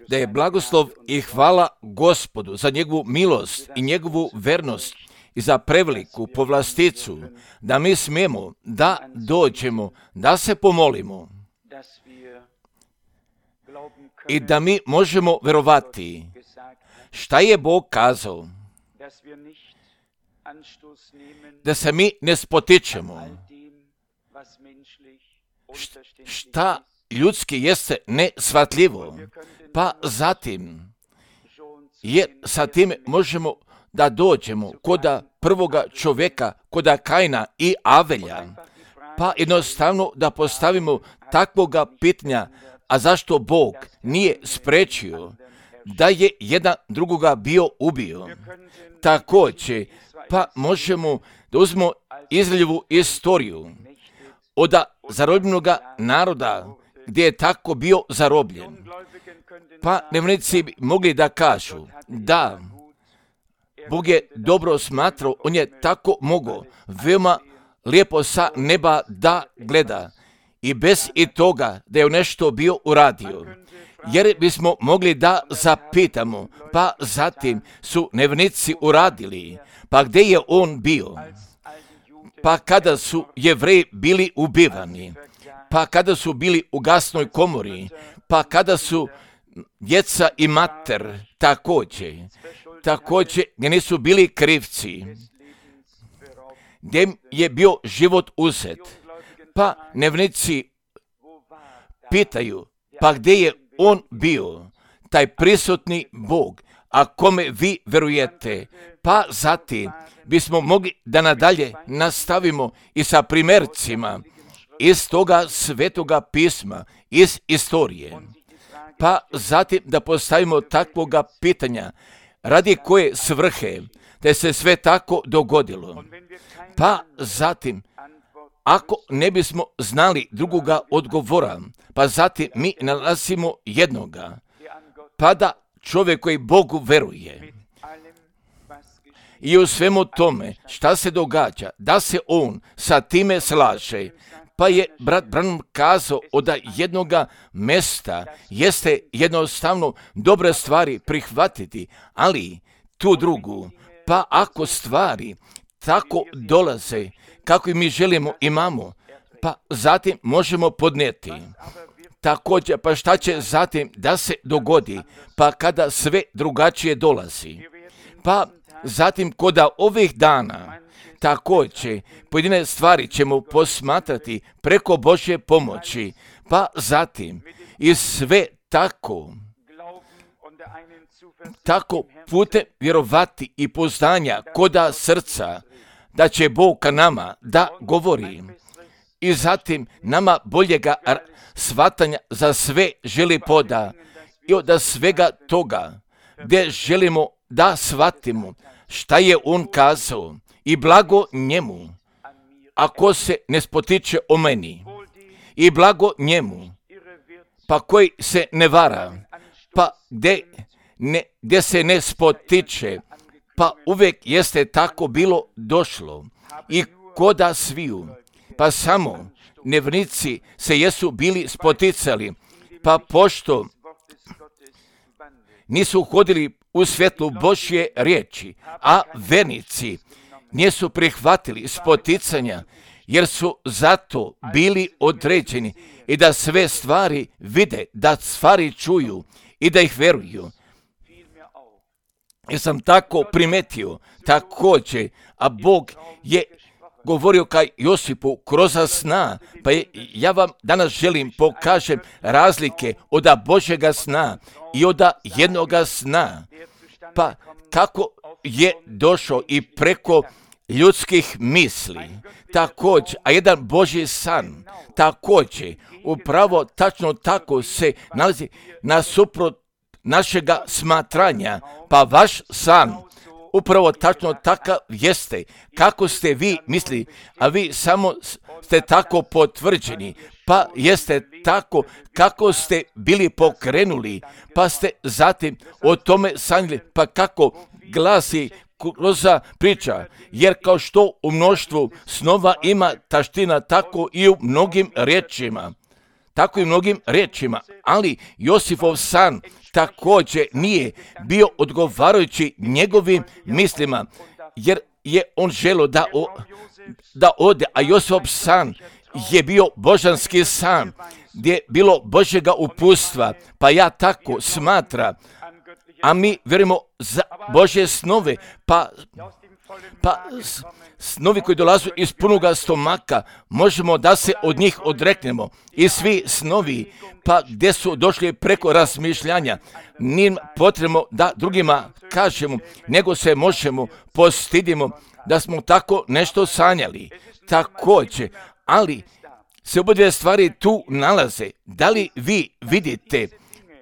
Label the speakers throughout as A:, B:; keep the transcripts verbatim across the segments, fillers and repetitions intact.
A: Da je blagoslov i hvala Gospodu za njegovu milost i njegovu vernost i za preveliku povlasticu, da mi smijemo da dođemo, da se pomolimo i da mi možemo verovati šta je Bog kazao, da se mi ne spotičemo šta ljudski jeste nesvatljivo, pa zatim jer sa time možemo da dođemo koda prvoga čovjeka, koda Kaina i Avelja, pa jednostavno da postavimo takvoga pitanja, a zašto Bog nije sprečio da je jedan drugoga bio ubio. Također, pa možemo da uzmemo izljevu istoriju od zarobljenoga naroda gdje je tako bio zarobljen. Pa nevjernici bi mogli da kažu da Bog je dobro smatrao, on je tako mogao veoma lijepo sa neba da gleda i bez i toga da je nešto bio uradio. Jer bismo mogli da zapitamo, pa zatim su nevjernici uradili, pa gdje je on bio? Pa kada su Jevreji bili ubivani, pa kada su bili u gasnoj komori, pa kada su djeca i mater također, također gdje nisu bili krivci, gdje je bio život uzet, pa nevjernici pitaju, pa gdje je on bio, taj prisutni Bog, a kome vi verujete? Pa zatim bismo mogli da nadalje nastavimo i sa primjercima iz toga svetoga pisma, iz istorije. Pa zatim da postavimo takvoga pitanja, radi koje svrhe da se sve tako dogodilo. Pa zatim, ako ne bismo znali drugoga odgovora, pa zatim mi nalazimo jednoga, pa da čovjek koji Bogu veruje i u svemu tome šta se događa, da se on sa time slaže, pa je brat Branham kazao od jednoga mesta jeste jednostavno dobre stvari prihvatiti, ali tu drugu, pa ako stvari tako dolaze kako i mi želimo imamo, pa zatim možemo podnijeti. Također, pa šta će zatim da se dogodi, pa kada sve drugačije dolazi? Pa zatim koda ovih dana također pojedine stvari ćemo posmatrati preko Božje pomoći, pa zatim i sve tako, tako putem vjerovati i poznanja koda srca, da će Bog ka nama da govori i zatim nama boljega shvatanja za sve želi poda i od svega toga gdje želimo da shvatimo šta je on kazao i blago njemu ako se ne spotiče o meni i blago njemu pa koji se ne vara, pa gdje, ne, gdje se ne spotiče, pa uvijek jeste tako bilo došlo i koda sviju, pa samo nevjernici se jesu bili spoticali, pa pošto nisu hodili u svjetlu Božje riječi, a vernici nisu prihvatili spoticanja, jer su zato bili određeni i da sve stvari vide, da stvari čuju i da ih veruju. Jer sam tako primetio također, a Bog je govorio kaj Josipu kroz sna, pa je, ja vam danas želim pokažem razlike od Božjega sna i od jednoga sna, pa kako je došao i preko ljudskih misli, također, a jedan Božji san, također, upravo tačno tako se nalazi nasuprot našega smatranja, pa vaš san upravo tačno takav jeste, kako ste vi mislili, a vi samo ste tako potvrđeni, pa jeste tako kako ste bili pokrenuli, pa ste zatim o tome sanjali, pa kako glasi kroz priča, jer kao što u mnoštvu snova ima taština, tako i u mnogim riječima. tako i mnogim riječima, ali Josifov san također nije bio odgovarajući njegovim mislima, jer je on želio da, o, da ode, a Josifov san je bio božanski san, gdje je bilo Božjega uputstva, pa ja tako smatram, a mi vjerujemo za Božje snove, pa, pa snovi koji dolazu iz punoga stomaka, možemo da se od njih odreknemo. I svi snovi, pa gdje su došli preko razmišljanja, nije potrebno da drugima kažemo, nego se možemo postidimo da smo tako nešto sanjali. Također, ali se obje stvari tu nalaze. Da li vi vidite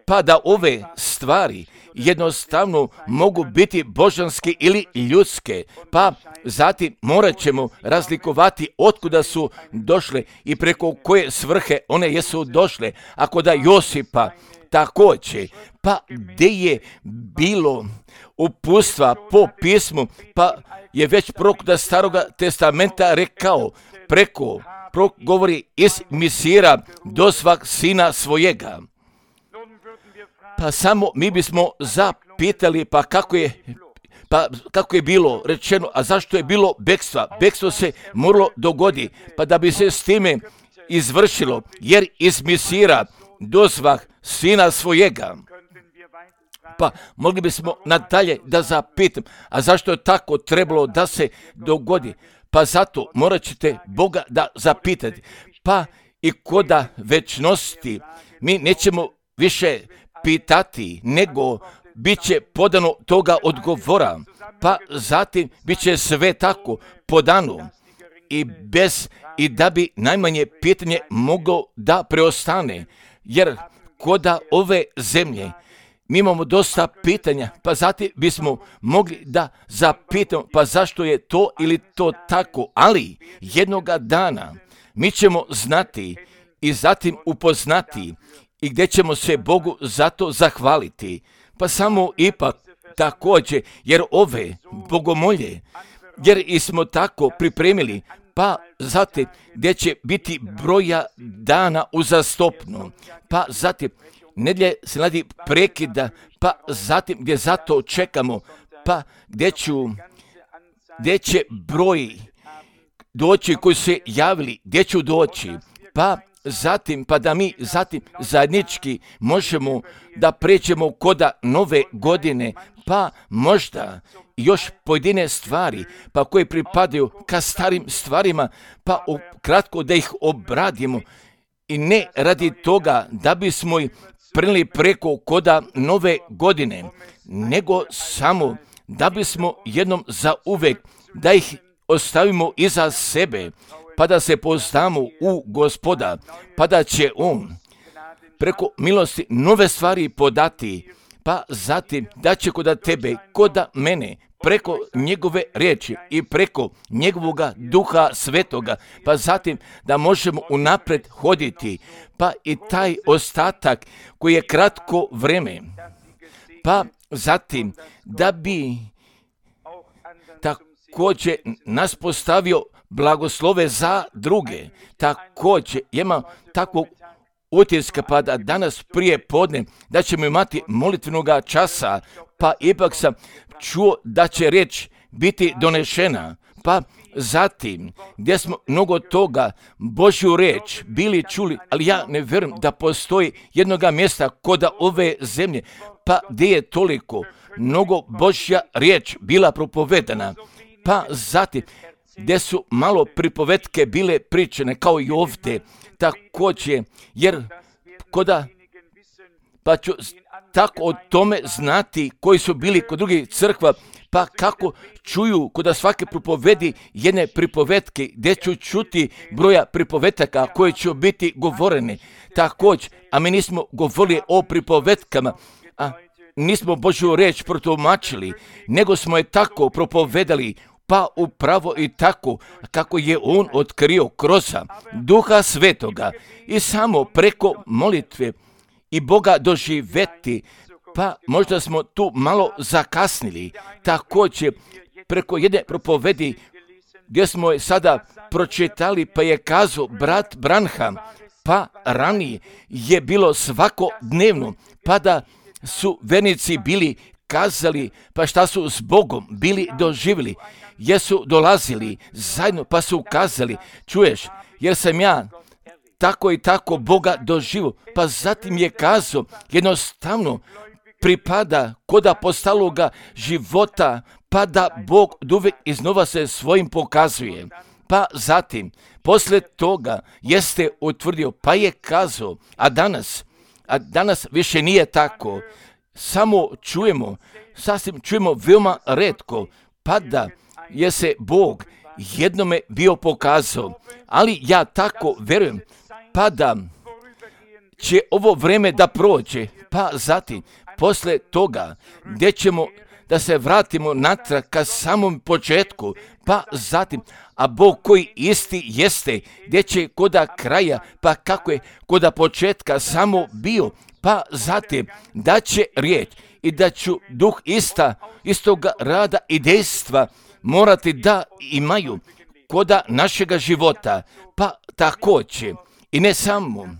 A: pa da ove stvari jednostavno mogu biti božanske ili ljudske, pa zatim morat ćemo razlikovati otkuda su došle i preko koje svrhe one jesu došle. Ako da Josipa također, pa gdje je bilo uputstva po pismu, pa je već prorok da Staroga testamenta rekao, preko prorok govori iz Misira do svak sina svojega. Pa samo mi bismo zapitali, pa kako je, pa kako je bilo rečeno, a zašto je bilo bekstva? Bekstvo se moralo dogodi, pa da bi se s time izvršilo, jer iz Misira do svak sina svojega. Pa mogli bismo nadalje da zapitam, a zašto je tako trebalo da se dogodi? Pa zato morat ćete Boga da zapitati. Pa i koda večnosti mi nećemo više pitati, nego bit će podano toga odgovora. Pa zatim bit će sve tako podano i bez i da bi najmanje pitanje moglo da preostane. Jer koda ove zemlje mi imamo dosta pitanja, pa zatim bismo mogli da zapitamo, pa zašto je to ili to tako, ali jednoga dana mi ćemo znati i zatim upoznati i gdje ćemo se Bogu za to zahvaliti. Pa samo ipak također, jer ove bogomolje, jer i smo tako pripremili, pa zatim gdje će biti broja dana uzastopno, pa zatim nedjelje se radi prekida, pa zatim gdje zato čekamo, pa gdje, ću, gdje će broj doći koji su se javili, gdje ću doći, pa zatim, pa da mi zatim zajednički možemo da pređemo koda nove godine, pa možda još pojedine stvari, pa koje pripadaju ka starim stvarima, pa kratko da ih obradimo i ne radi toga da bismo ih prenijeli preko koda nove godine, nego samo da bismo jednom za uvek da ih ostavimo iza sebe, pa da se poznamo u Gospoda, pa da će On preko milosti nove stvari podati, pa zatim da će koda tebe, koda mene, preko njegove riječi i preko njegovoga duha svetoga, pa zatim da možemo unaprijed hoditi, pa i taj ostatak koji je kratko vreme, pa zatim da bi također nas postavio blagoslove za druge. Također imam takvog utiska, pa da danas prije podne da ćemo imati molitvenoga časa, pa ipak sam čuo da će riječ biti donešena, pa zatim gdje smo mnogo toga Božju riječ bili čuli, ali ja ne vjerujem da postoji jednoga mjesta koda ove zemlje, pa gdje je toliko mnogo Božja riječ bila propovedana, pa zatim gdje su malo pripovetke bile pričane, kao i ovdje, također, jer koda, pa ću tako o tome znati koji su bili kod drugih crkva, pa kako čuju koda svake pripovedi jedne pripovetke, gdje ću čuti broja pripovetaka koje će biti govorene. Također, a mi nismo govorili o pripovetkama, a nismo Božju riječ protumačili, nego smo je tako propovedali, pa upravo i tako kako je On otkrio kroz Duha Svetoga i samo preko molitve i Boga doživjeti, pa možda smo tu malo zakasnili. Također preko jedne propovedi gdje smo je sada pročitali, pa je kazao brat Branham, pa ranije je bilo svakodnevno, pa da su vernici bili kazali, pa šta su s Bogom bili doživjeli, jesu dolazili zajedno, pa su kazali, čuješ, jer sam ja tako i tako Boga doživio, pa zatim je kazao, jednostavno pripada kod apostologa života, pa da Bog uvijek iznova se svojim pokazuje. Pa zatim, poslije toga jeste utvrdio, pa je kazao, a danas, a danas više nije tako, samo čujemo, sasvim čujemo veoma retko, pa da je se Bog jednome bio pokazao, ali ja tako verujem, pa da će ovo vreme da prođe, pa zatim, poslije toga, gdje ćemo da se vratimo natrag ka samom početku, pa zatim, a Bog koji isti jeste, gdje će koda kraja, pa kako je koda početka samo bio, pa zatim, da će riječ i da ću duh ista, istoga rada i dejstva morati da imaju koda našega života, pa također, i ne samo,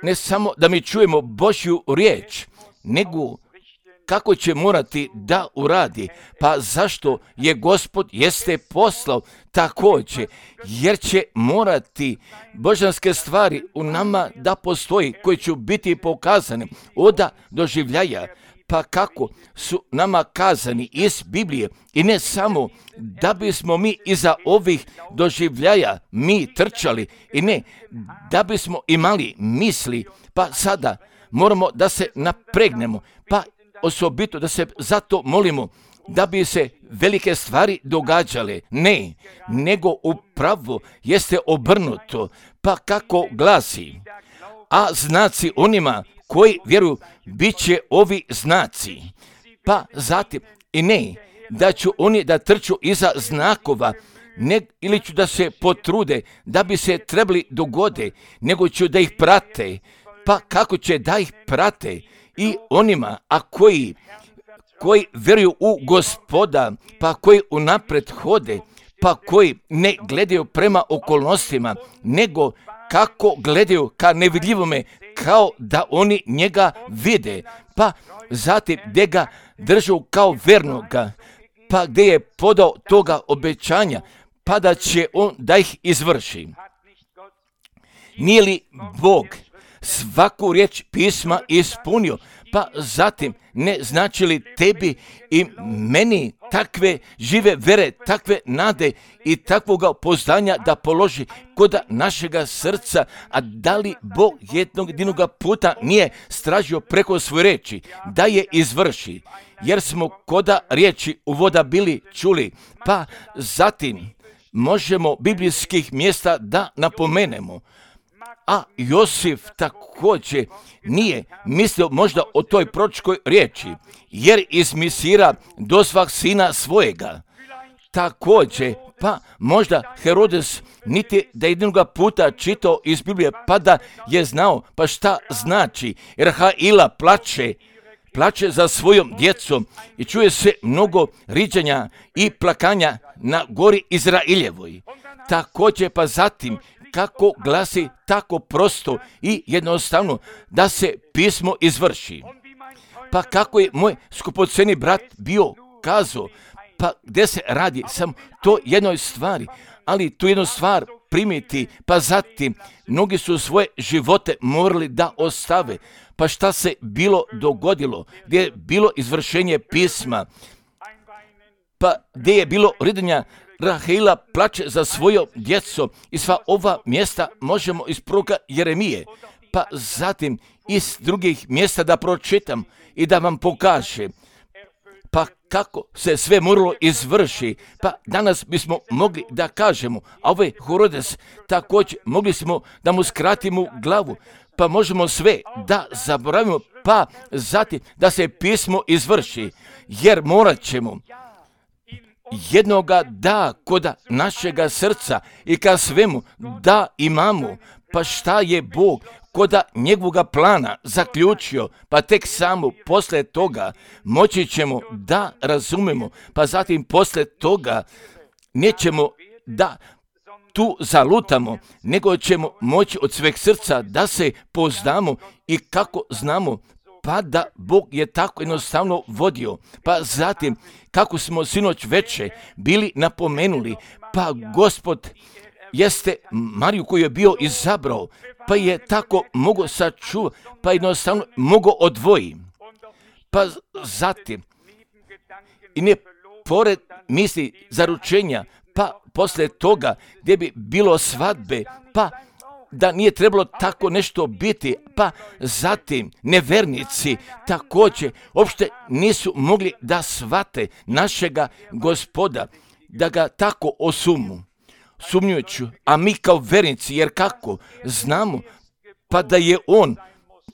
A: ne samo da mi čujemo Božju riječ, nego kako će morati da uradi, pa zašto je Gospod jeste poslao također, jer će morati božanske stvari u nama da postoji, koji će biti pokazane oda doživljaja, pa kako su nama kazani iz Biblije i ne samo da bismo mi iza ovih doživljaja mi trčali i ne da bismo imali misli, pa sada moramo da se napregnemo, pa osobito da se zato molimo da bi se velike stvari događale. Ne, nego upravo jeste obrnuto, pa kako glasi, a znaci onima koji vjeruju bit će ovi znaci, pa zatim i ne da ću oni da trču iza znakova, ne, ili ću da se potrude da bi se trebali dogode, nego ću da ih prate, pa kako će da ih prate i onima, a koji, koji vjeruju u Gospoda, pa koji unapred hode, pa koji ne gledaju prema okolnostima, nego kako gledaju ka nevidljivome, kao da oni njega vide, pa zatim gdje ga držu kao vernoga, pa gdje je podao toga obećanja, pa da će on da ih izvrši. Nije li Bog svaku riječ pisma ispunio, pa zatim ne znači li tebi i meni takve žive vere, takve nade i takvoga poznanja da položi kod našega srca, a da li Bog jednog jedinoga puta nije stražio preko svoje reči da je izvrši, jer smo koda riječi uvoda bili čuli, pa zatim možemo biblijskih mjesta da napomenemo. A Josif također nije mislio možda o toj proročkoj riječi, jer iz Misira dozvah sina svojega. Također, pa možda Herodes niti da jednoga puta čitao iz Biblije, pa da je znao, pa šta znači, jer Rahila plače, plače za svojom djecom i čuje se mnogo riđanja i plakanja na gori Izraeljevoj. Također, pa zatim, kako glasi tako prosto i jednostavno da se pismo izvrši. Pa kako je moj skupoceni brat bio kazao, pa gdje se radi sam to jednoj stvari, ali tu jednu stvar primiti, pa zatim mnogi su svoje živote morali da ostave. Pa šta se bilo dogodilo, gdje je bilo izvršenje pisma, pa gdje je bilo ridanja, Rahila plače za svojom djecom i sva ova mjesta možemo iz proroka Jeremije, pa zatim iz drugih mjesta da pročitam i da vam pokažem, pa kako se sve moralo izvrši, pa danas bismo mogli da kažemo, a ovaj Herodes također mogli smo da mu skratimo glavu, pa možemo sve da zaboravimo, pa zatim da se pismo izvrši, jer morat ćemo jednoga da koda našega srca i ka svemu da imamo, pa šta je Bog koda njegovoga plana zaključio, pa tek samo posle toga moći ćemo da razumemo, pa zatim posle toga nećemo da tu zalutamo, nego ćemo moći od sveg srca da se poznamo i kako znamo, pa da Bog je tako jednostavno vodio. Pa zatim, kako smo sinoć veče bili napomenuli, pa Gospod jeste Mariju koju je bio izabrao, pa je tako mogo sačuvati, pa jednostavno mogo odvoji. Pa zatim, i ne pored misli zaručenja, pa posle toga gdje bi bilo svadbe, pa da nije trebalo tako nešto biti, pa zatim nevernici također uopšte nisu mogli da shvate našega Gospoda, da ga tako osumu, sumnjujući, a mi kao vernici, jer kako znamo, pa da je on,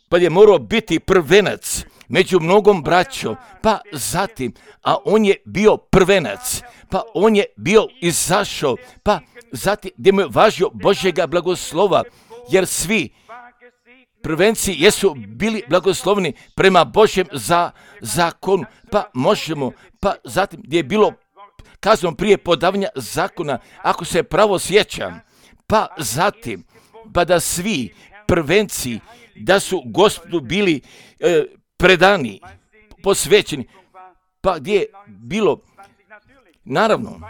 A: pa je morao biti prvenac među mnogom braćom, pa zatim, a on je bio prvenac, pa on je bio izašao, pa zatim gdje mu je važio Božjega blagoslova, jer svi prvenci jesu bili blagoslovni prema Božjem za zakonu, pa možemo, pa zatim gdje je bilo kazano prije podavanja zakona, ako se pravo sjećam, pa zatim, pa da svi prvenci, da su Gospodu bili e, predani, posvećeni, pa gdje je bilo, naravno,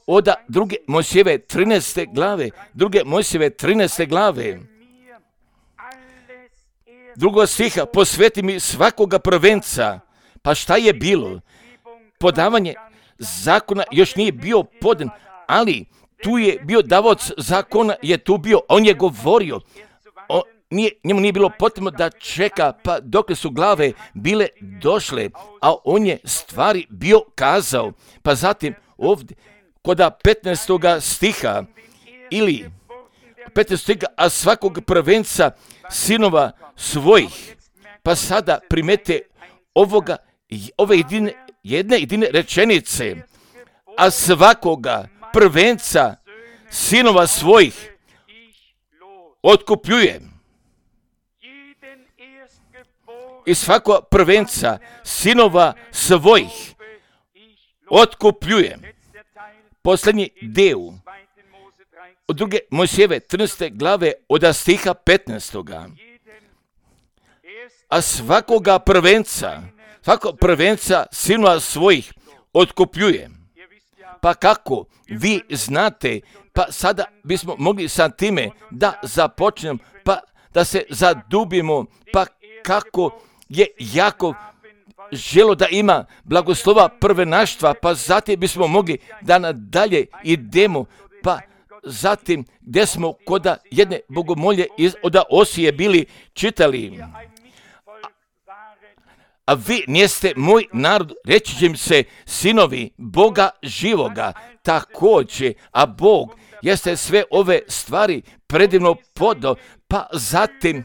A: od druge Mojsijeve trinaeste glave, druge Mojsijeve trinaeste glave, drugog stiha, posveti mi svakoga prvenca. Pa šta je bilo? Podavanje zakona još nije bio podan, ali tu je bio davaoc zakona, je tu bio, on je govorio, on, nije, njemu nije bilo potrebno da čeka, pa dokle su glave bile došle, a on je stvari bio kazao. Pa zatim ovdje, kod petnaestog stiha, ili petnaestog stiha, a svakog prvenca sinova svojih, pa sada primete ovoga, ove jedine, jedne jedine rečenice, a svakoga prvenca sinova svojih otkupljuje. I svako prvenca sinova svojih otkupljuje. Posljednji deo od druge Mojsijeve trinaeste glave od stiha petnaestog. A svakoga prvenca, svako prvenca sinova svojih otkupljuje. Pa kako vi znate, pa sada bismo mogli sa time da započnemo, pa da se zadubimo, pa kako je Jakov želo da ima blagoslova prvenaštva, pa zatim bismo mogli da nadalje idemo, pa zatim gdje smo kod jedne bogomolje iz, od Osije bili čitali. A vi nijeste moj narod, reći će im se sinovi Boga živoga, također, a Bog jeste sve ove stvari predivno podao, pa zatim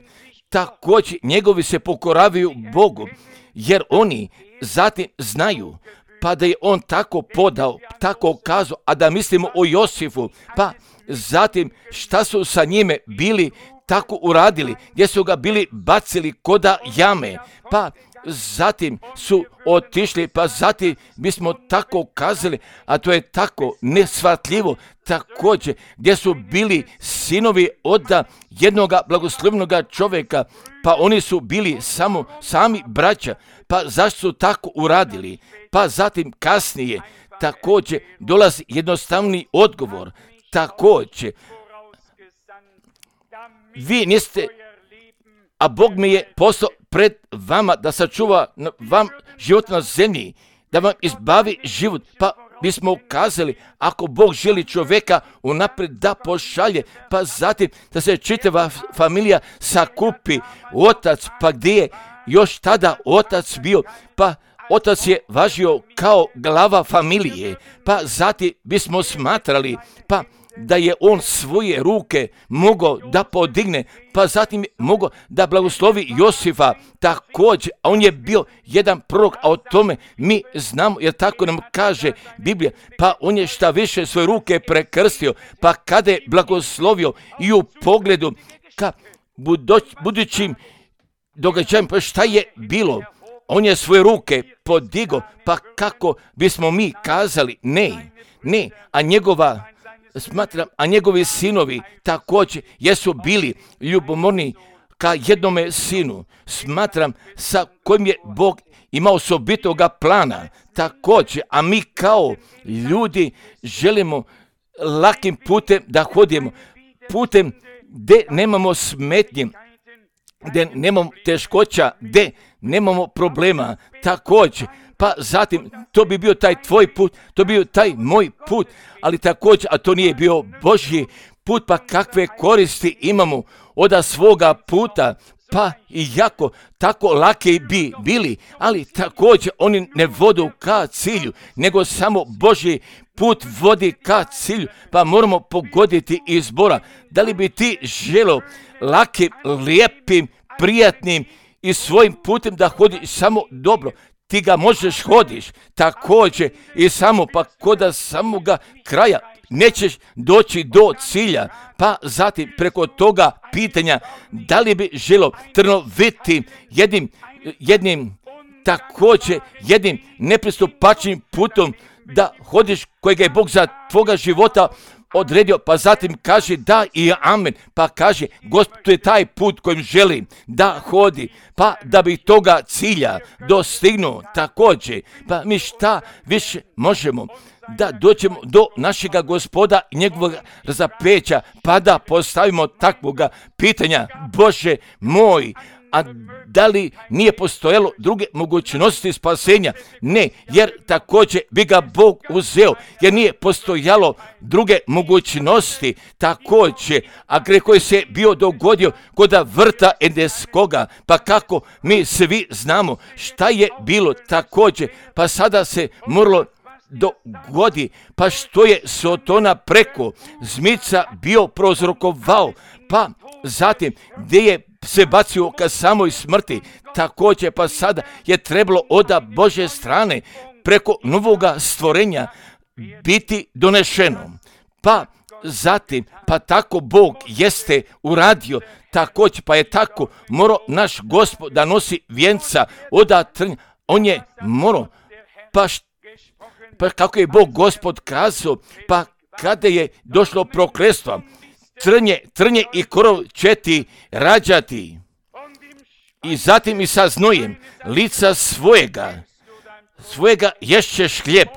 A: također njegovi se pokoravaju Bogu, jer oni zatim znaju, pa da je on tako podao, tako kazao, a da mislimo o Josifu, pa zatim šta su sa njime bili tako uradili, gdje su ga bili bacili koda jame, pa zatim su otišli, pa zatim bismo tako kazali, a to je tako neshvatljivo, također gdje su bili sinovi od jednoga blagoslovnoga čovjeka, pa oni su bili samo sami braća, pa zašto su tako uradili? Pa zatim kasnije također dolazi jednostavni odgovor, također vi niste, a Bog mi je poslao pred vama da sačuva vam život na zemlji, da vam izbavi život, pa bismo kazali, ako Bog želi čovjeka unaprijed da pošalje, pa zatim da se čitava familija sakupi, otac, pa gdje je još tada otac bio, pa otac je važio kao glava familije, pa zatim bismo smatrali, pa da je on svoje ruke mogao da podigne, pa zatim mogao da blagoslovi Josifa također, a on je bio jedan prorok, a o tome mi znamo, jer tako nam kaže Biblija, pa on je šta više svoje ruke prekrstio, pa kada je blagoslovio i u pogledu ka buduć, budućim događajem, pa šta je bilo, on je svoje ruke podigo, pa kako bismo mi kazali ne, ne, a njegova smatram, a njegovi sinovi također jesu bili ljubomorni ka jednome sinu. Smatram sa kojim je Bog imao osobitoga plana također, a mi kao ljudi želimo lakim putem da hodimo, putem gdje nemamo smetnje, gdje nemamo teškoća, gdje nemamo problema također. Pa zatim, to bi bio taj tvoj put, to bi bio taj moj put, ali također, a to nije bio Božji put, pa kakve koristi imamo od svoga puta, pa i jako tako lake bi bili, ali također oni ne vodu ka cilju, nego samo Božji put vodi ka cilju, pa moramo pogoditi izbora. Da li bi ti želo lakim, lijepim, prijatnim i svojim putem da hodiš samo dobro? Ti ga možeš hodiš također i samo pa koda samoga kraja nećeš doći do cilja, pa zatim preko toga pitanja da li bi želo trnoviti jednim, jednim također jednim nepristupačnim putom da hodiš kojega je Bog za tvoga života odredio, pa zatim kaže da i amen, pa kaže Gospod, to je taj put kojim želim da hodi, pa da bi toga cilja dostignuo također, pa mi šta više možemo da dođemo do našega Gospoda i njegovog razapeća, pa da postavimo takvoga pitanja, Bože moj, a da li nije postojalo druge mogućnosti spasenja? Ne, jer također bi ga Bog uzeo, jer nije postojalo druge mogućnosti također, a greh koji se bio dogodio kod vrta Edenskoga, pa kako mi svi znamo šta je bilo također, pa sada se moralo dogodi, pa što je Sotona preko zmica bio prozrokovao, pa zatim gdje je se bacio ka samoj smrti, također pa sada je trebalo od Božje strane preko novoga stvorenja biti donešeno. Pa zatim, pa tako Bog jeste uradio, također pa je tako morao naš Gospod da nosi vjenca od trnja, on je morao, pa, pa kako je Bog Gospod kazao, pa kada je došlo prokletstvo, Trnje, trnje i korov će ti rađati i zatim i sa znojem lica svojega, svojega ješćeš hljeb.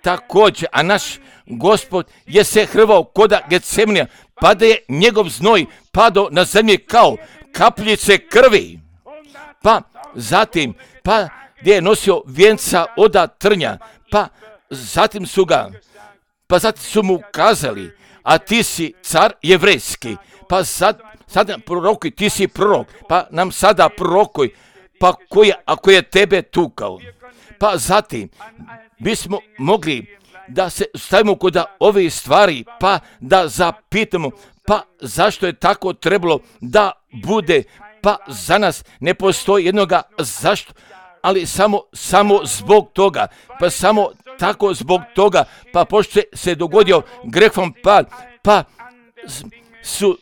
A: Također, a naš Gospod je se hrvao koda Getsemanija, pa da je njegov znoj padao na zemlji kao kapljice krvi. Pa zatim, pa gdje je nosio vjenca od trnja, pa zatim su ga, pa zatim su mu kazali, a ti si car jevrejski, pa sad, sad prorokuj, ti si prorok, pa nam sada prorokuj, pa ko je, ako je tebe tukao. Pa zatim bismo mogli da se stavimo kod ove stvari, pa da zapitamo, pa zašto je tako trebalo da bude, pa za nas ne postoji jednoga zašto, ali samo, samo zbog toga, pa samo tako zbog toga, pa pošto se dogodio grehom pad, pa su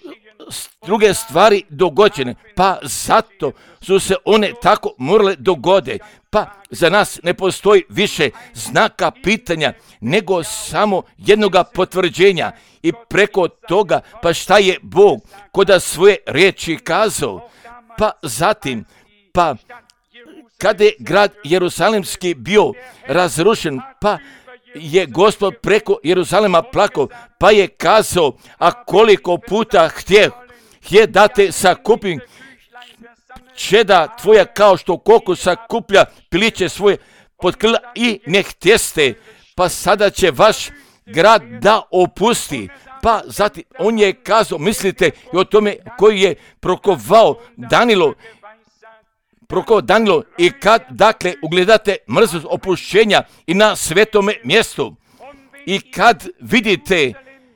A: druge stvari dogođene, pa zato su se one tako morale dogode, pa za nas ne postoji više znaka pitanja, nego samo jednoga potvrđenja i preko toga, pa šta je Bog koda svoje riječi kazao, pa zatim, pa kada je grad Jerusalimski bio razrušen, pa je Gospod preko Jeruzalema plakao, pa je kazao, a koliko puta htje, htje da te sakupim, čeda tvoja kao što koku sakuplja piliće svoje pod krila i ne htjeste, pa sada će vaš grad da opusti. Pa zatim on je kazao, mislite i o tome koji je prokovao Danilo, Proko Danilo i kad, dakle, ugledate mrzost opušćenja i na svetome mjestu i kad vidite,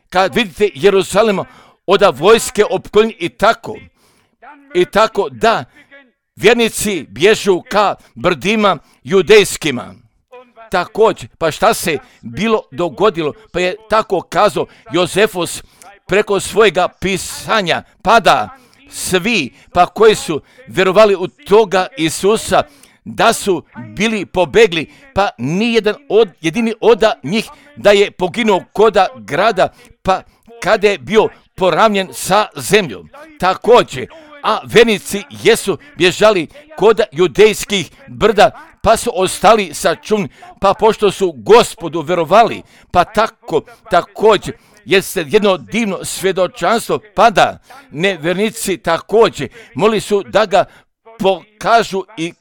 A: kad vidite Jeruzalema od vojske opkoljenje i tako, i tako da vjernici bježu ka brdima judejskima. Također, pa šta se bilo dogodilo, pa je tako kazao Jozefus preko svojega pisanja, pada svi, pa koji su vjerovali u toga Isusa, da su bili pobegli, pa nijedan od, jedini oda njih da je poginuo koda grada, pa kada je bio poravnjen sa zemljom. Također, a vernici jesu bježali koda judejskih brda, pa su ostali sačuvani, pa pošto su Gospodu verovali, pa tako također jeste jedno divno svjedočanstvo, pa da nevernici također moli su da ga pokažu i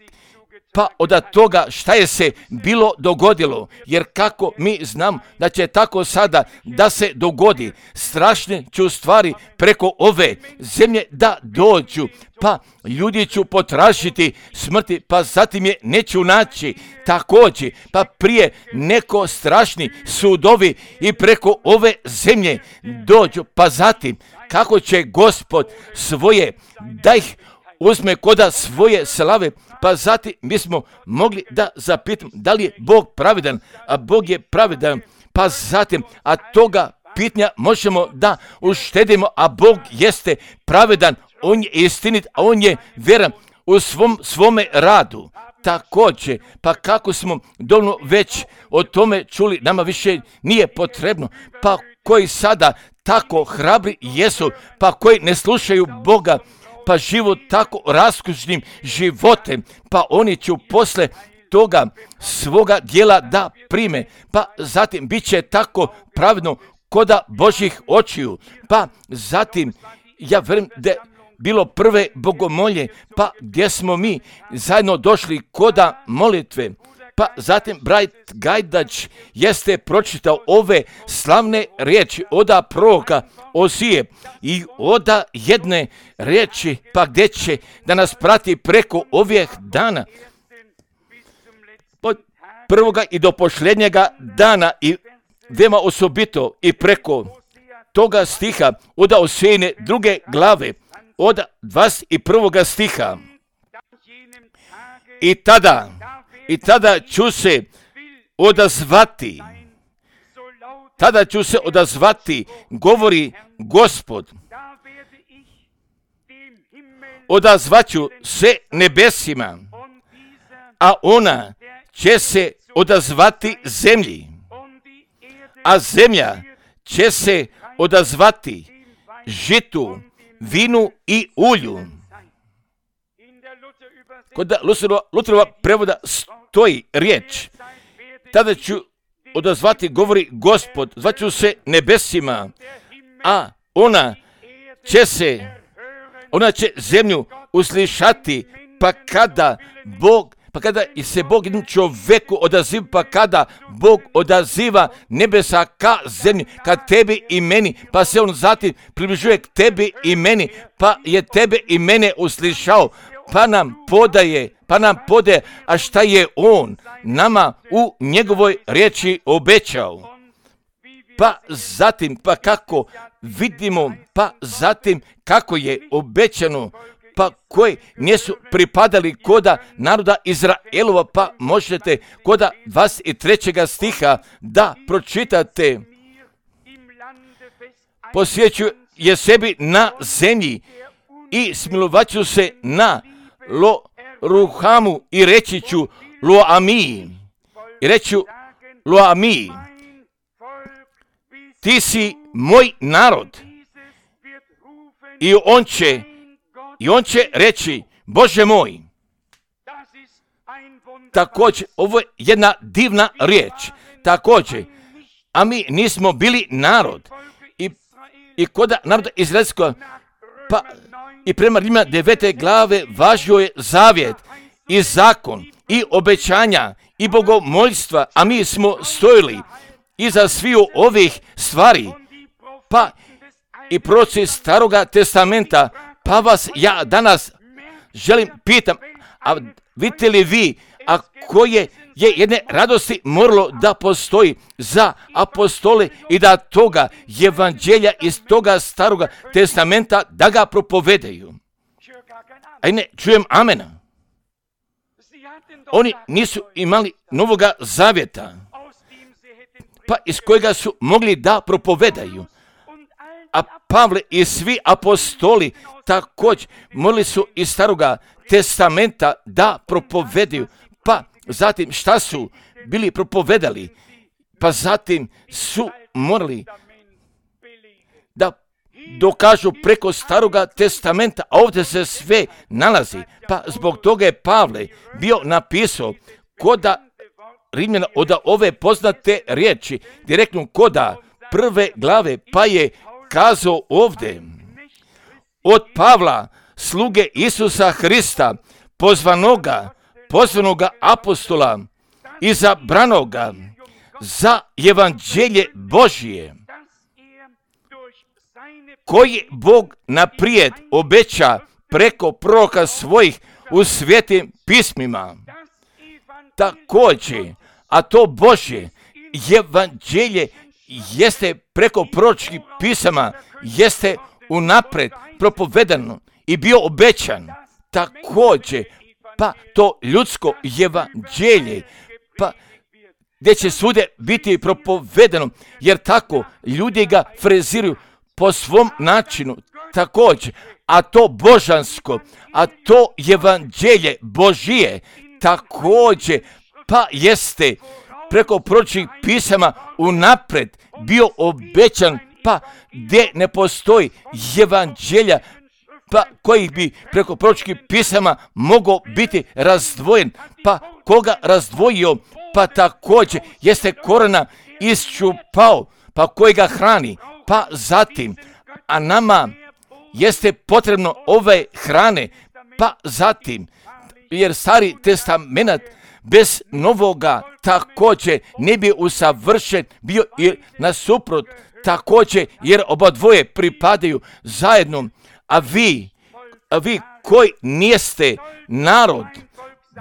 A: pa od toga šta je se bilo dogodilo, jer kako mi znam da će tako sada da se dogodi, strašne ću stvari preko ove zemlje da dođu, pa ljudi ću potražiti smrti, pa zatim je neću naći također, pa prije neko strašni sudovi i preko ove zemlje dođu, pa zatim kako će Gospod svoje da ih uzme koda svoje slave, pa zatim mi smo mogli da zapitamo da li je Bog pravedan, a Bog je pravedan, pa zatim, a toga pitanja možemo da uštedimo, a Bog jeste pravedan, On je istinit, a On je vjeran u svom, svome radu. Također, pa kako smo dovoljno već o tome čuli, nama više nije potrebno, pa koji sada tako hrabri jesu, pa koji ne slušaju Boga, pa život tako raskušnim životem, pa oni će posle toga svoga dijela da prime, pa zatim bit će tako pravedno koda Božjih očiju, pa zatim ja vjerujem da bilo prve bogomolje, pa gdje smo mi zajedno došli koda molitve, pa zatim brat Gajdač jeste pročitao ove slavne riječi oda proroka Ozije i oda jedne riječi, pa gdje će da nas prati preko ovih dana, od prvoga i do posljednjega dana i veoma osobito i preko toga stiha oda Ozijine druge glave, od dvadeset prvoga stiha. I tada, i tada ću se odazvati, tada ću se odazvati, govori Gospod. Odazvaću se nebesima, a ona će se odazvati zemlji, a zemlja će se odazvati žitu, vinu i ulju. Kod Luterova prevoda stoji riječ, tada ću odazvati, govori Gospod, zvaću se nebesima, a ona će se, ona će zemlju uslišati, pa kada Bog, pa kada se Bog jednom čovjeku odaziva, pa kada Bog odaziva nebesa ka zemlji, ka tebi i meni, pa se on zatim približuje k tebi i meni, pa je tebe i mene uslišao, pa nam podaje, pa nam podaje, a šta je on nama u njegovoj riječi obećao. Pa zatim, pa kako vidimo, pa zatim kako je obećano, pa koji nisu pripadali koda naroda Izraelova, pa možete koda dvadeset trećega stiha da pročitate. Posjeću je sebi na zemlji i smilovaću se na Lo Ruhamu i reći ću Lo Ami. I reću Lo Ami. Ti si moj narod. I on će, i on će reći Bože moj. Također, ovo je jedna divna riječ. Također, a mi nismo bili narod. I, i koda naroda izraelskog, pa i prema Rimljana devete glave važio je zavjet i zakon i obećanja i bogomoljstva, a mi smo stojili iza sviju ovih stvari, pa i proroci Staroga testamenta, pa vas ja danas želim pitam, a vidite li vi, a koje je jedne radosti moralo da postoji za apostole i da toga evanđelja iz toga Staroga testamenta da ga propovedaju. Aj ne, čujem amena. Oni nisu imali novoga zavjeta, pa iz kojega su mogli da propovedaju. A Pavle i svi apostoli također molili su iz Staroga testamenta da propovedaju. Pa zatim šta su bili propovedali? Pa zatim su morali da dokažu preko Staroga testamenta, a ovdje se sve nalazi. Pa zbog toga je Pavle bio napisao koda Rimljana od ove poznate riječi, direktno koda prve glave, pa je kazao ovdje od Pavla, sluge Isusa Hrista, pozvanoga, pozvanoga apostola, izabranoga za evanđelje Božije, koji Bog naprijed obeća preko proroka svojih u svetim pismima. Također, a to Božje evanđelje jeste preko proročkih pisama, jeste unaprijed propovedano i bio obećan. Također, pa to ljudsko evanđelje, pa gdje će svude biti propovedano, jer tako ljudi ga freziraju po svom načinu, također, a to božansko, a to evanđelje Božije, također, pa jeste preko proročkih pisama unaprijed bio obećan, pa gdje ne postoji evanđelja, pa koji bi preko proročkih pisama mogao biti razdvojen, pa koga razdvojio, pa također jeste korena iščupao, pa koji ga hrani, pa zatim, a nama jeste potrebno ove hrane, pa zatim, jer Stari testament bez novoga također ne bi usavršen bio i nasuprot također, jer oba dvoje pripadaju zajedno, a vi, a vi koji nijeste narod,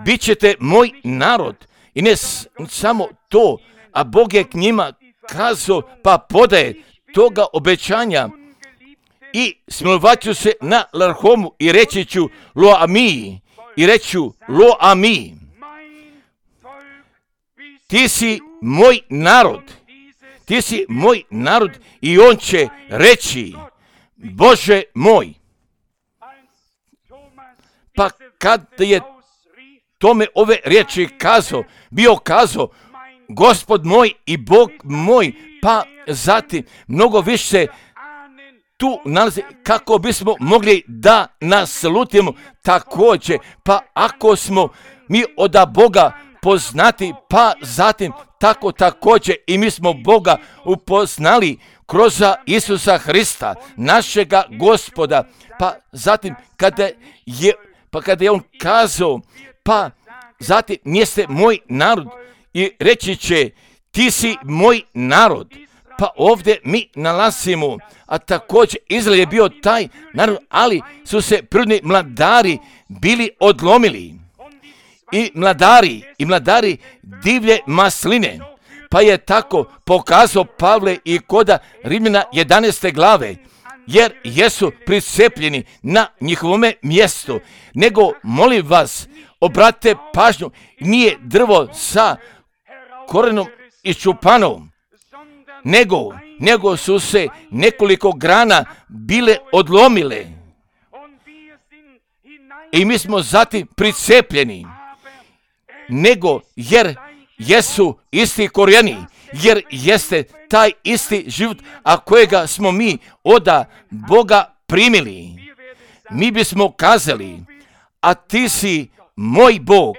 A: bit ćete moj narod. I ne s- samo to, a Bog je k njima kazao, pa podaje toga obećanja i smilovat ću se na Larhomu i reći ću lo ami, i reću lo ami. Ti si moj narod, ti si moj narod, i on će reći, Bože moj. Pa kad je tome ove riječi kazao, bio kazao, Gospod moj i Bog moj, pa zatim mnogo više tu nalazi kako bismo mogli da naslutimo također, pa ako smo mi od Boga poznati, pa zatim tako također i mi smo Boga upoznali kroz Isusa Hrista, našega Gospoda, pa zatim kada je, pa kada je on kazao, pa zatim jeste moj narod i reći će, ti si moj narod, pa ovdje mi nalazimo, a također Izrael je bio taj narod, ali su se prirodni mladari bili odlomili. I mladari, i mladari divlje masline, pa je tako pokazao Pavle i koda Rimljana jedanaeste glave, jer jesu pricepljeni na njihovome mjestu. Nego, molim vas, obratite pažnju, nije drvo sa korenom iščupanom, nego, nego su se nekoliko grana bile odlomile. I mi smo zatim pricepljeni, nego jer jesu isti korijeni, jer jeste taj isti život, a kojega smo mi od Boga primili. Mi bismo kazali, a ti si moj Bog,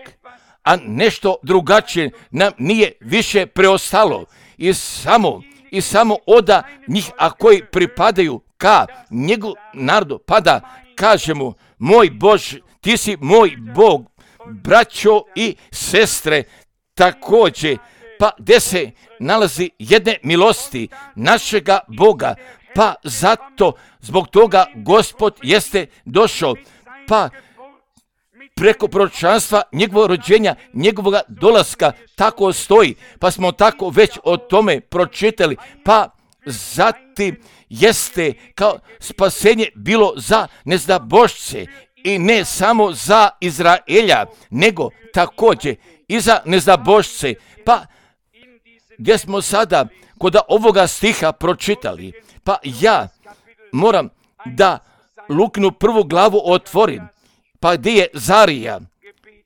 A: a nešto drugačije nam nije više preostalo. I samo, i samo od njih, a koji pripadaju ka njegov narodu, pa da kažemo, moj Bož, ti si moj Bog, braćo i sestre, također, pa gdje se nalazi jedne milosti našega Boga, pa zato, zbog toga Gospod jeste došao, pa preko proročanstva njegovog rođenja, njegovog dolaska, tako stoji, pa smo tako već o tome pročitali, pa zatim jeste kao spasenje bilo za nezdabošće i ne samo za Izraelja, nego također i za nezdabošće, pa gdje smo sada kod ovoga stiha pročitali, pa ja moram da Lukinu prvu glavu otvorim, pa gdje je Zarija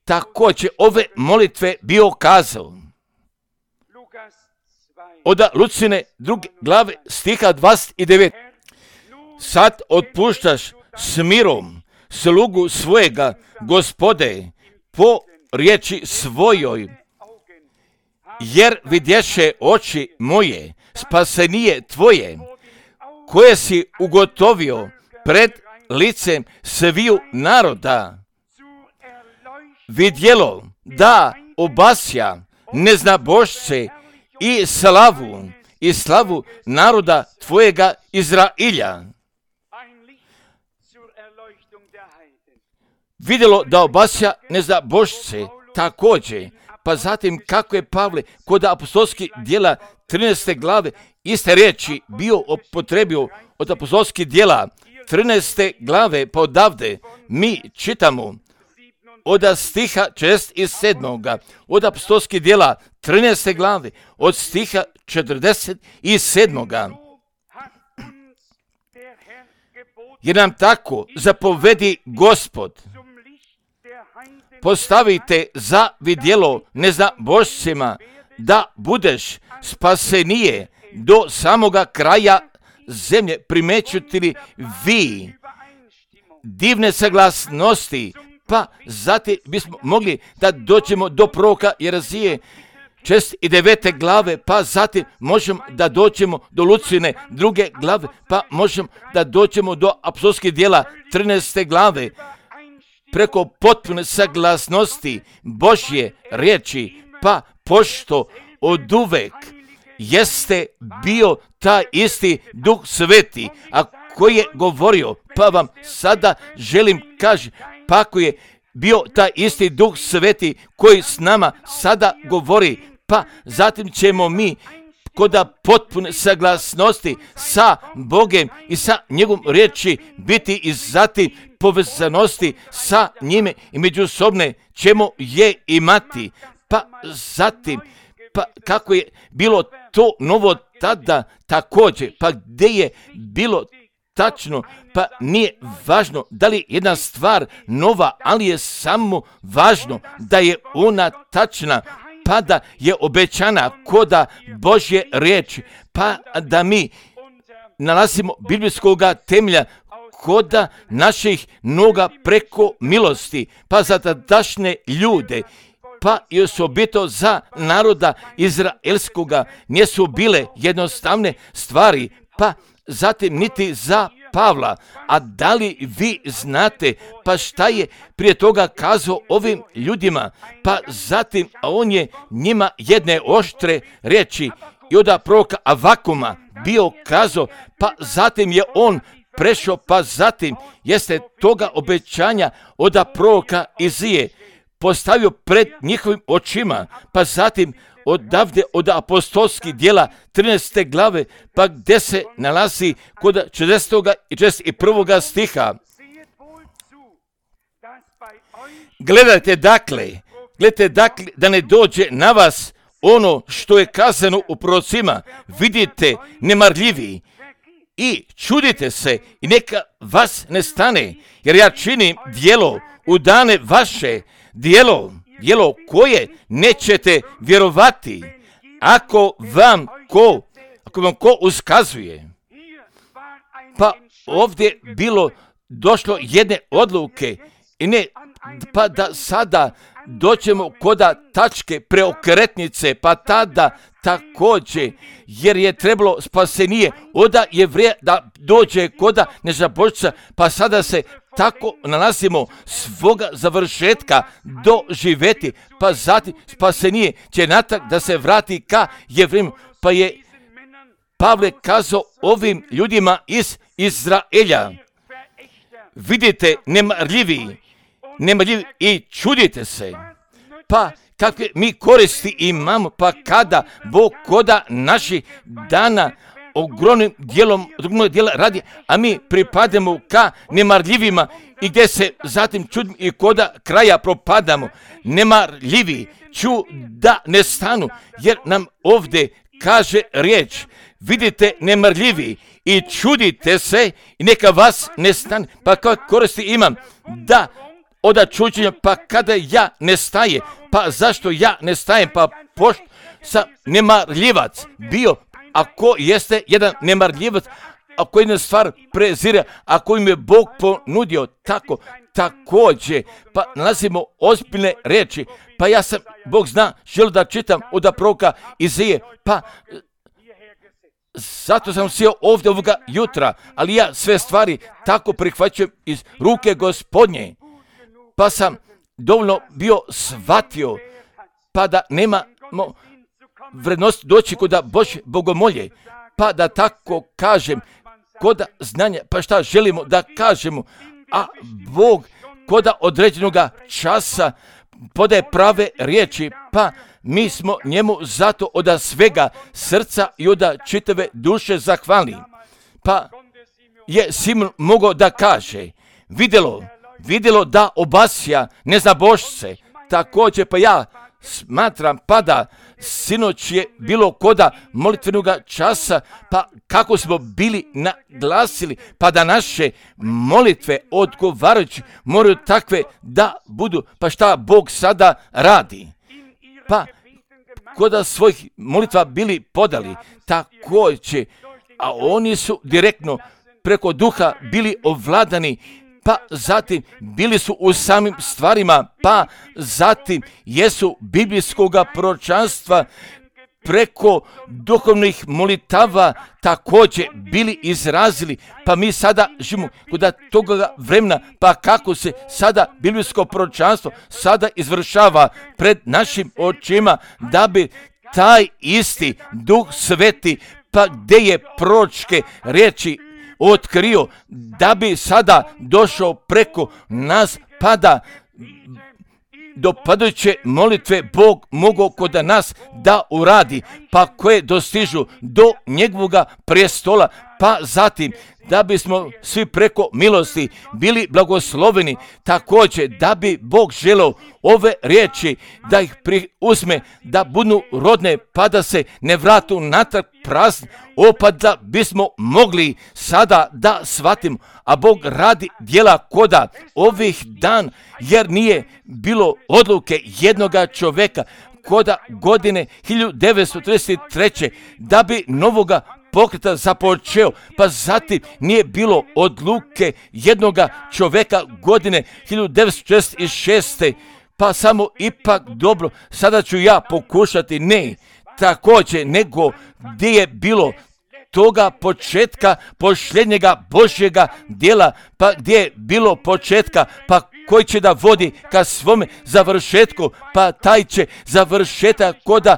A: također ove molitve bio kazao. Od Lucine druge glave stiha dvadeset devet. Sad otpuštaš s mirom slugu svojega, Gospode, po riječi svojoj, jer vidješe oči moje spasenije tvoje, koje si ugotovio pred licem sviju naroda. Vidjelo da obasja neznabošce i slavu, i slavu naroda tvojega Izrailja. Vidjelo da obasja neznabošce također, pa zatim kako je Pavle kod apostolskih djela trinaeste glave iste riječi bio upotrebio od apostolskih djela trinaeste glave, pa odavde mi čitamo od stiha četrdeset sedam. Od apostolskih djela trinaeste glave od stiha četrdeset sedam. Jer nam tako zapovedi Gospod: postavite za vidjelo neznabošcima da budeš spasenije do samoga kraja zemlje. Primećujete li vi divne saglasnosti? Pa zatim bismo mogli da dođemo do proroka Jerezije šest i devete glave, pa zatim možemo da dođemo do Lucine druge glave, pa možemo da dođemo do apostolskih djela trinaeste glave, preko potpune saglasnosti Božje riječi, pa pošto oduvek jeste bio taj isti Duh Sveti, a koji je govorio, pa vam sada želim kaži, pa ako je bio taj isti Duh Sveti koji s nama sada govori, pa zatim ćemo mi kod potpune saglasnosti sa Bogem i sa njegovom riječi biti i zatim povezanosti sa njime i međusobne ćemo je imati. Pa zatim, pa kako je bilo to novo tada također, pa gdje je bilo tačno, pa nije važno da li je jedna stvar nova, ali je samo važno da je ona tačna, pa da je obećana koda Božje riječi, pa da mi nalazimo biblijskoga temelja koda naših noga preko milosti, pa za tadašnje ljude, pa i osobito za naroda izraelskoga nisu bile jednostavne stvari, pa zatim niti za Pavla. A da li vi znate pa šta je prije toga kazao ovim ljudima? Pa zatim a on je njima jedne oštre riječi i od proroka Avakuma bio kazao, pa zatim je on prešao, pa zatim jeste toga obećanja od proroka Izije postavio pred njihovim očima, pa zatim odavde od apostolskih djela trinaeste glave, pa gdje se nalazi kod četrdesetog i četrdeset prvog stiha. Gledajte dakle, gledajte dakle da ne dođe na vas ono što je kazano u prorocima, vidite nemarljivi i čudite se i neka vas ne stane, jer ja činim djelo u dane vaše, djelo, djelo koje nećete vjerovati, ako vam ko, ako vam ko uskazuje. Pa ovdje bilo došlo jedne odluke i ne, pa da sada doćemo koda tačke preokretnice, pa tada također, jer je trebalo spasenije oda Jevreja da dođe koda nezabošca, pa sada se tako nalazimo svoga završetka doživjeti, pa zatim spasenije će natak da se vrati ka Jevrejima, pa je Pavle kazao ovim ljudima iz Izraelja, vidite nemarljivi, nemarljivi i čudite se, pa kakve mi koristi imamo, pa kada Bog koda naših dana ogromnim dijelom dijela radi, a mi pripadamo ka nemarljivima i gdje se zatim čudimo i koda kraja propadamo. Nemarljivi ću da ne stanu, jer nam ovdje kaže riječ, vidite nemarljivi i čudite se i neka vas ne stane. Pa kakve koristi imam da od čuđenja, pa kada ja ne staje, pa zašto ja ne stajem, pa pošto sam nemarljivac bio, ako jeste jedan nemarljivac, ako jedna stvar prezire, ako im je Bog ponudio tako, također, pa nalazimo ozbiljne reči, pa ja sam, Bog zna, želio da čitam od proroka Izaije, pa zato sam sjeo ovdje ovoga jutra, ali ja sve stvari tako prihvaćam iz ruke Gospodnje, pa sam dovoljno bio shvatio, pa da nemamo vrednost doći kod Božje bogomolje, pa da tako kažem, kod znanja, pa šta želimo da kažemo, a Bog kod određenog časa podaje prave riječi, pa mi smo njemu zato od svega srca i od čitave duše zahvalni. Pa je Simon mogao da kaže, vidjelo, vidjelo da obasja neznabošce, također pa ja smatram pa da sinoć je bilo koda molitvenog časa, pa kako smo bili naglasili, pa da naše molitve odgovarajući moraju takve da budu, pa šta Bog sada radi. Pa koda svojih molitva bili podali, također, a oni su direktno preko duha bili ovladani, pa zatim bili su u samim stvarima, pa zatim jesu biblijskog proročanstva preko duhovnih molitava također bili izrazili, pa mi sada živimo kod toga vremena, pa kako se sada biblijsko proročanstvo sada izvršava pred našim očima, da bi taj isti Duh Sveti, pa gdje je proročke riječi otkrio, da bi sada došao preko nas, pa da dopadajuće molitve Bog mogao kod nas da uradi, pa koje dostižu do njegovoga prestola, pa zatim da bismo svi preko milosti bili blagosloveni, također da bi Bog želeo ove riječi da ih uzme, da budu rodne, pa da se ne vratu natrag prazni, opet da bismo mogli sada da shvatimo, a Bog radi djela koda ovih dan, jer nije bilo odluke jednoga čovjeka koda godine hiljadu devetsto trideset treće da bi novoga pokreta započeo, pa zatim nije bilo odluke jednoga čovjeka godine hiljadu devetsto četrdeset šeste pa samo ipak dobro, sada ću ja pokušati, ne, također, nego gdje je bilo toga početka posljednjega Božjega djela, pa gdje je bilo početka, pa koji će da vodi ka svome završetku, pa taj će završetak koda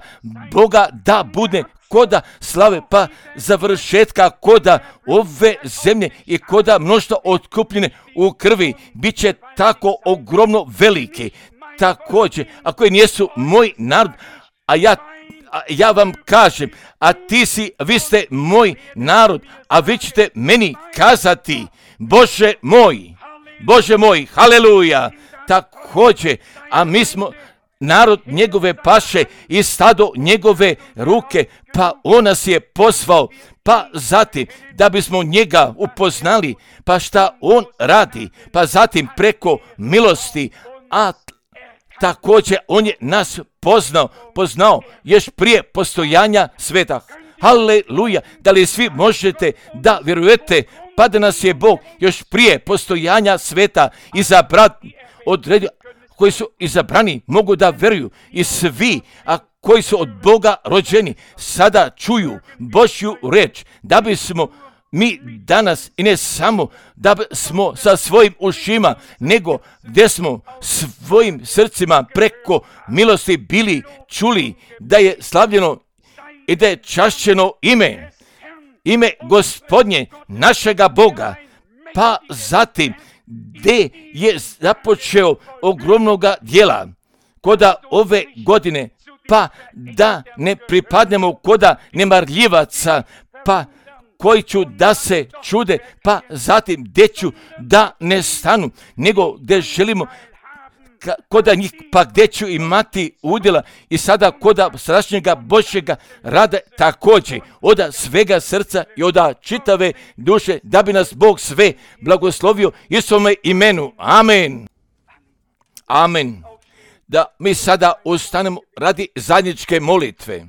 A: Boga da bude koda slave, pa završetka koda ove zemlje i koda mnoštva otkupljene u krvi, bit će tako ogromno veliki. Također, ako nijesu moj narod, a ja A ja vam kažem, a ti si, vi ste moj narod, a vi ćete meni kazati, Bože moj, Bože moj, haleluja, također, a mi smo narod njegove paše i stado njegove ruke, pa on nas je poslao, pa zatim da bismo njega upoznali, pa šta on radi, pa zatim preko milosti, a također on je nas poznao, poznao još prije postojanja sveta. Haleluja, da li svi možete da vjerujete, pa da nas je Bog još prije postojanja sveta izabrati, odredio, koji su izabrani mogu da vjeruju i svi, a koji su od Boga rođeni, sada čuju Božju reč, da bismo mi danas i ne samo da smo sa svojim ušima, nego gdje smo svojim srcima preko milosti bili čuli da je slavljeno i da je čašćeno ime, ime Gospodnje našega Boga, pa zatim gdje je započeo ogromnoga djela koda ove godine, pa da ne pripadnemo koda nemarljivaca, pa koji ću da se čude, pa zatim gdje ću da ne stanu, nego gdje želimo koda njih, pa gdje ću imati udjela i sada koda sadašnjega Božjega rada također, oda svega srca i oda čitave duše, da bi nas Bog sve blagoslovio i svome imenu. Amen. Amen. Da mi sada ustanemo radi zajedničke molitve.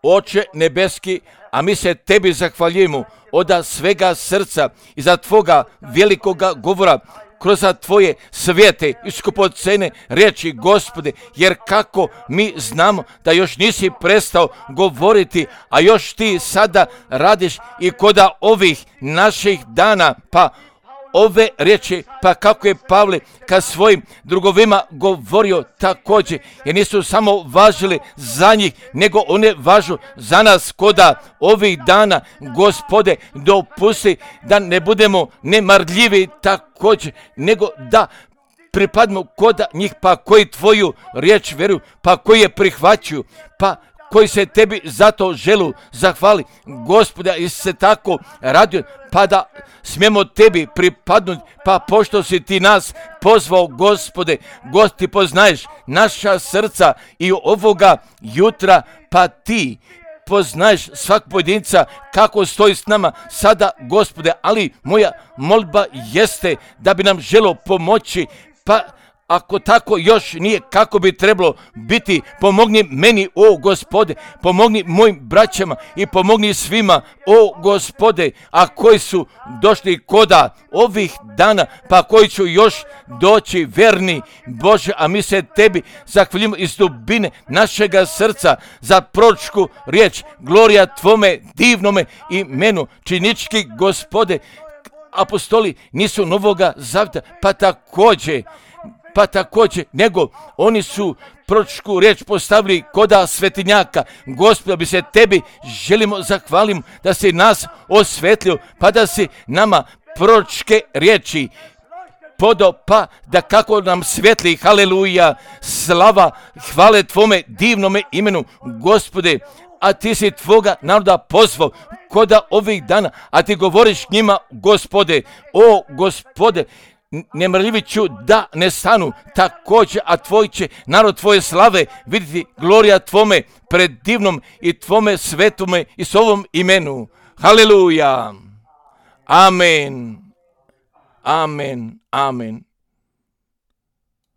A: Oče nebeski, a mi se tebi zahvaljujemo od svega srca i za tvoga velikoga govora kroz tvoje svijete i skupocene riječi, Gospode, jer kako mi znamo da još nisi prestao govoriti, a još ti sada radiš i koda ovih naših dana, pa ove riječi, pa kako je Pavle ka svojim drugovima govorio također, jer nisu samo važili za njih, nego one važu za nas koda ovih dana, Gospode, dopusti da ne budemo nemarljivi također, nego da pripadimo koda njih, pa koji tvoju riječ vjeruju, pa koji je prihvaćuju, pa koji se tebi zato želu zahvali, Gospoda, i se tako radio, pa da smijemo tebi pripadnuti, pa pošto si ti nas pozvao, Gospode, Gospod, ti poznaješ naša srca i ovoga jutra, pa ti poznaješ svak pojedinca kako stoji s nama sada, Gospode, ali moja molba jeste da bi nam želo pomoći, pa ako tako još nije kako bi trebalo biti, pomogni meni, o Gospode, pomogni mojim braćama i pomogni svima, o Gospode, a koji su došli koda ovih dana, pa koji ću još doći, verni Bože, a mi se tebi zahvaljujemo iz dubine našega srca za proročku riječ, glorija tvome divnome imenu, činički, Gospode, apostoli nisu Novoga Zavjeta, pa također, pa također, nego oni su proročku riječ postavili koda svetinjaka. Gospod, bi se tebi želimo zahvalimo da si nas osvetlio, pa da si nama proročke riječi podo, pa da kako nam svetli, haleluja, slava, hvale tvome divnome imenu, Gospode, a ti si tvoga naroda pozvao koda ovih dana, a ti govoriš njima, Gospode, o Gospode, nemrljivi ću da ne stanu također, a tvoj će narod tvoje slave vidjeti, glorija tvome pred divnom i tvome svetome i s ovom imenu. Haleluja. Amen. Amen. Amen.